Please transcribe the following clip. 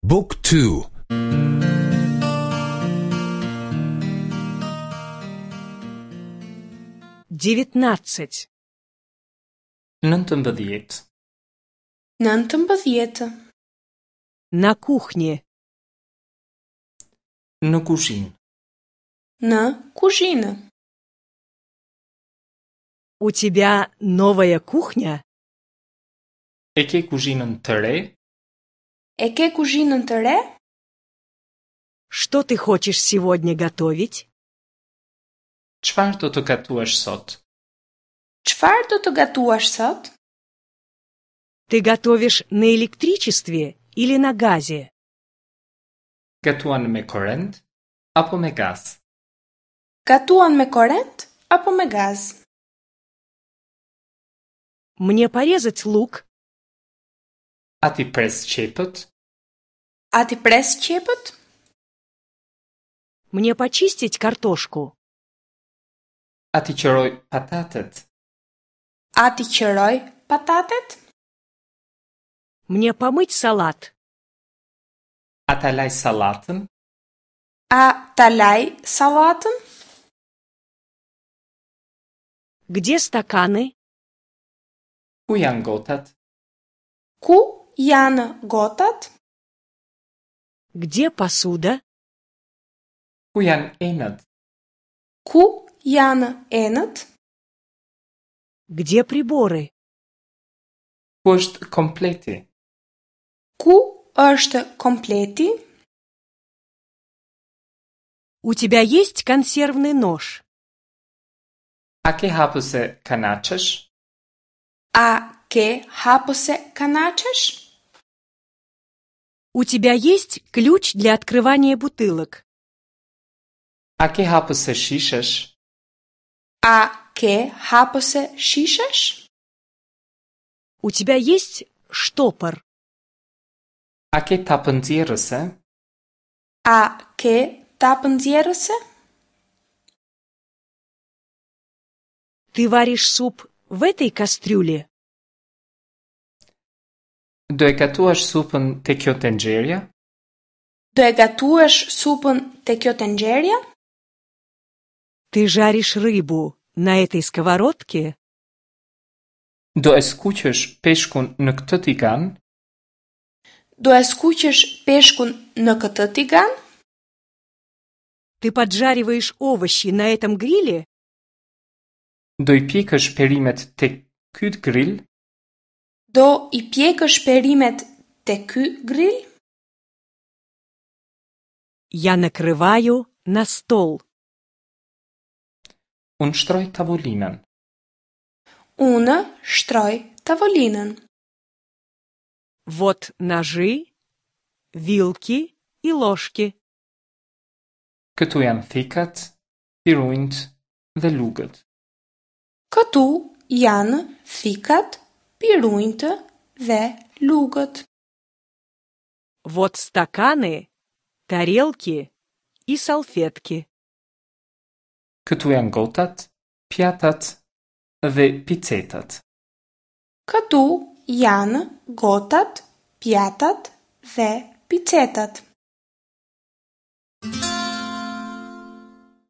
บุ๊กทู 19. 19. 19. На кухне. Në kuzhinë. Në kuzhinë. У тебя новая кухня? E ke kuzhinën të re? E ke kuzhinën të re? Что ты хочешь сегодня готовить? Çfarë do të gatuash sot? Çfarë do të gatuash sot? Ты готовишь на электричестве или на газе? Gatuan me korrent apo me gaz? Gatuan me korrent apo me gaz? Мне порезать лук? A t'i pres qepët? A t'i pres qepët? Мне почистить картошку? A t'i qëroj patatet? A t'i qëroj patatet? Мне помыть салат? A ta laj sallatën? A ta laj sallatën? Где стаканы? Ku janë gotat? Ku janë gotat? Где посуда? Ku janë enët? Ku janë enët? Где приборы? Ku është kompleti? Ku është kompleti? У тебя есть консервный нож? A ke hapëse kanaçesh? A ke hapëse kanaçesh? У тебя есть ключ для открывания бутылок? A ke hapëse shishesh? A ke hapëse shishesh? У тебя есть штопор? A ke tapë nxjerrëse? A ke tapë nxjerrëse? Ты варишь суп в этой кастрюле? Do e gatuash supën te kjo tenxherja? Do e gatuash supën te kjo tenxherja? Ты жаришь рыбу на этой сковородке? Do e skuqësh peshkun në këtë tigan? Do e skuqësh peshkun në këtë tigan? Ты поджариваешь овощи на этом гриле? Do i pjekësh perimet te ky grill? Do i pjekësh perimet te ky grill? Я накрываю на стол. Unë shtroj tavolinën. Unë shtroj tavolinën. Вот ножи, вилки и ложки. Këtu janë thikat, pirunjt dhe lugët. Këtu janë thikat, pirunjtë dhe lugët. Вот стаканы, тарелки и салфетки. Këtu janë gotat, pjatat dhe picetat. Këtu janë gotat, pjatat dhe picetat.